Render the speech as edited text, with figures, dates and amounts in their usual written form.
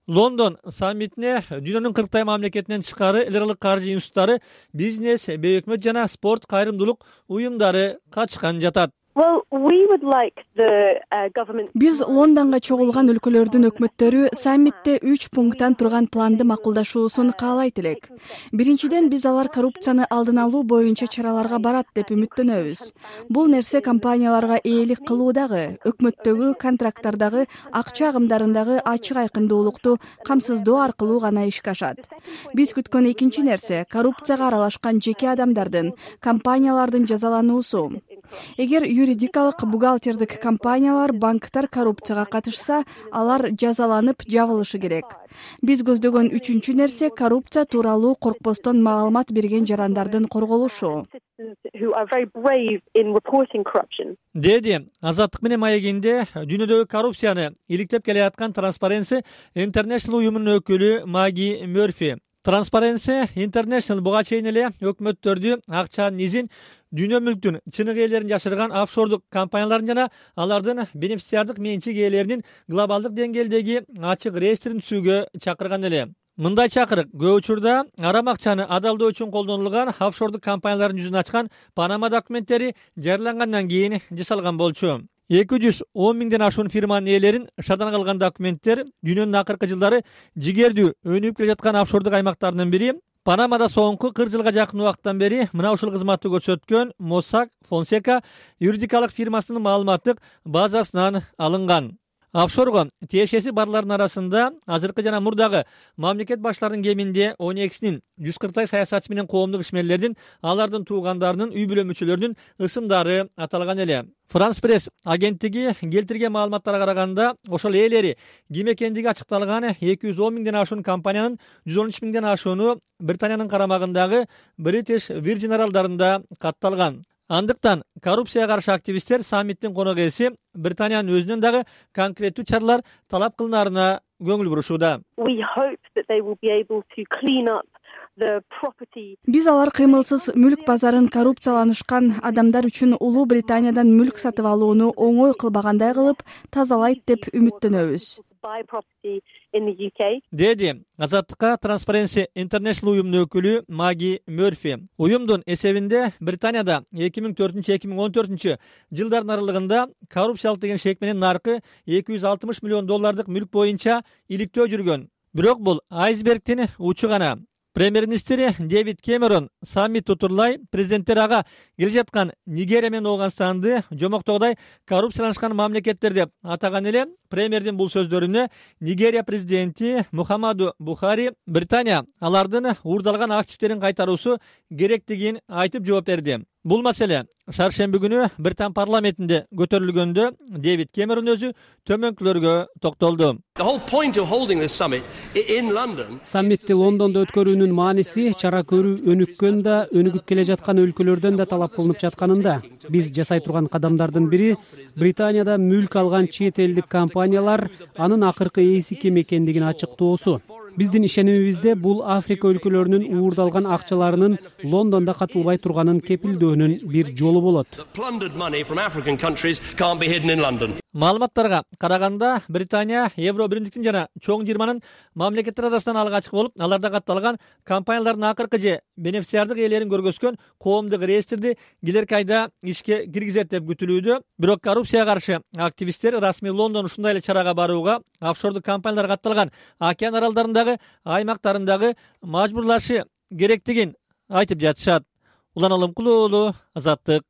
Лондон саммитине дүйнөнүн 40 мамлекетинен тышкары эл аралык каржы институттары, бизнес, бейөкмөт жана спорт кайрымдуулук уюмдары катышкан жатат. Биз Лондонго чогулган өлкөлөрдүн өкмөттөрү саммитте 3 пункттан турган планды макулдашуусун каалайт элек. Биринчиден, биз алар коррупцияны алдын алуу боюнча чараларга барат деп үмүттөнөбүз. Бул нерсе компанияларга ээлик кылуудагы, өкмөттөгү контракттардагы, акча агымдарындагы ачык айкындуулукту камсыздоо аркылуу гана ишке ашат. Биз күткөн экинчи нерсе коррупцияга аралашкан жеке адамдардын, компаниялардын жазалануусу. Эгер юридикалык бухгалтердик компаниялар, банктар коррупцияга катышса, алар жазаланып жабылышы керек. Биз көздөгөн үчүнчү нерсе коррупция тууралуу коркпостон маалымат берген жарандардын корголушу. Деди Азаттык менен маегинде дүйнөдөгү коррупцияны иликтеп келаткан Transparency International уюмунун өкүлү Маги Мёрфи. Transparency International буга чейин эле өкмөттөрдү акчанын изин, дүйнө мүлктүн чыныгы ээлерин жашырган офшордук компаниялардын жана алардын бенефициардык менчик ээлеринин глобалдык деңгээлдеги ачык реестрин түзүүгө чакырган эле. Мындай чакырык көп учурда арам акчаны адалдоо үчүн колдонулган офшордук компаниялардын жүзүн ачкан Панама документтери жарыялангандан кийин жасалган болчу. 210 миңден ашуун фирманын ээлерин шардан калган документтер дүйнөнүн акыркы жылдары жигердүү өнүгүп келе жаткан офшордук аймактарынын бири. Панамада соңку 40 жылга жакын убакыттан бери мына ушул кызматты көрсөткөн Mossack Fonseca юридикалык фирмасынын маалыматтык базасынан алынган. Офшорго тиешеси барлардын арасында азыркы жана мурдагы мамлекет башларынын кеминде 12-синин 140 саясатчы менен коомдук ишмерлердин, алардын туугандарынын, үй бүлө мүчөлөрүнүн ысымдары аталган эле. France Press агенттиги келтирген маалыматтарга караганда, ошол ээлери ким экендиги ачыкталган 210 миңден ашуун компаниянын 113 миңден ашууну Британиянын карамагындагы British Virgin аралдарында катталган. Андыктан коррупцияга каршы активисттер саммиттин конок ээси Британиянын өзүнөн дагы конкреттүү чаралар талап кылынаарына көңүл бурушууда. Биз алар кыймылсыз мүлк базарын коррупцияланышкан адамдар үчүн Улуу Британиядан мүлк сатып алууну оңой кылбагандай кылып тазалайт деп үмүттөнөбүз. Деди Азаттыкка Transparency International уюмунун өкүлү Маги Мёрфи. Уюмдун эсебинде Британияда 2004-2014 жылдардын аралыгында коррупциялык деген шек менен наркы $260 миллион мүлк боюнча иликтөө жүргөн. Бирок бул айсбергдин учу гана. Премьер-министри Дэвид Кэмерон саммит утурлай президенттер ага келе жаткан Нигерия менен Ооганстанды жомоктогудай коррупцияланышкан мамлекеттер деп атаган эле. Премьердин бул сөздөрүнө Нигерия президенти Мухаммаду Бухари Британия алардын уурдалган активдерин кайтаруусу керектигин айтып жооп берди. Бул маселе шаршемби күнү Британ парламентинде көтөрүлгөндө Дэвид Кэмерон өзү төмөнкүлөргө токтолду. Саммитти Лондондо өткөрүүнүн мааниси чара көрүү өнүккөн да, өнүгүп келе жаткан өлкөлөрдөн да талап кылынып жатканында. Биз жасай турган кадамдардын бири Британияда мүлк алган чет элдик компаниялар анын акыркы ээси ким экендигин ачыктоосу. Биздин ишенимибизде бул Африка өлкөлөрүнүн уурдалган акчаларынын Лондондо катылбай турганын кепилдөөнүн бир жолу болот. Маалыматтарга караганда Британия Евро биримдиктин жана чоң 20-нын мамлекеттер арасынан алгачкы болуп, аларда катталган компаниялардын акыркы же бенефициардык ээлерин көргөзгөн коомдук реестрди келерки айда ишке киргизет деп күтүлүүдө. Бирок коррупцияга каршы активисттер расмий Лондон ушундай эле чарага барууга офшордук компаниялар катталган океан аралдарындагы аймактарындагы мажбурлашы керектигин айтып жатышат. Улан Алымкулуу, Азаттык.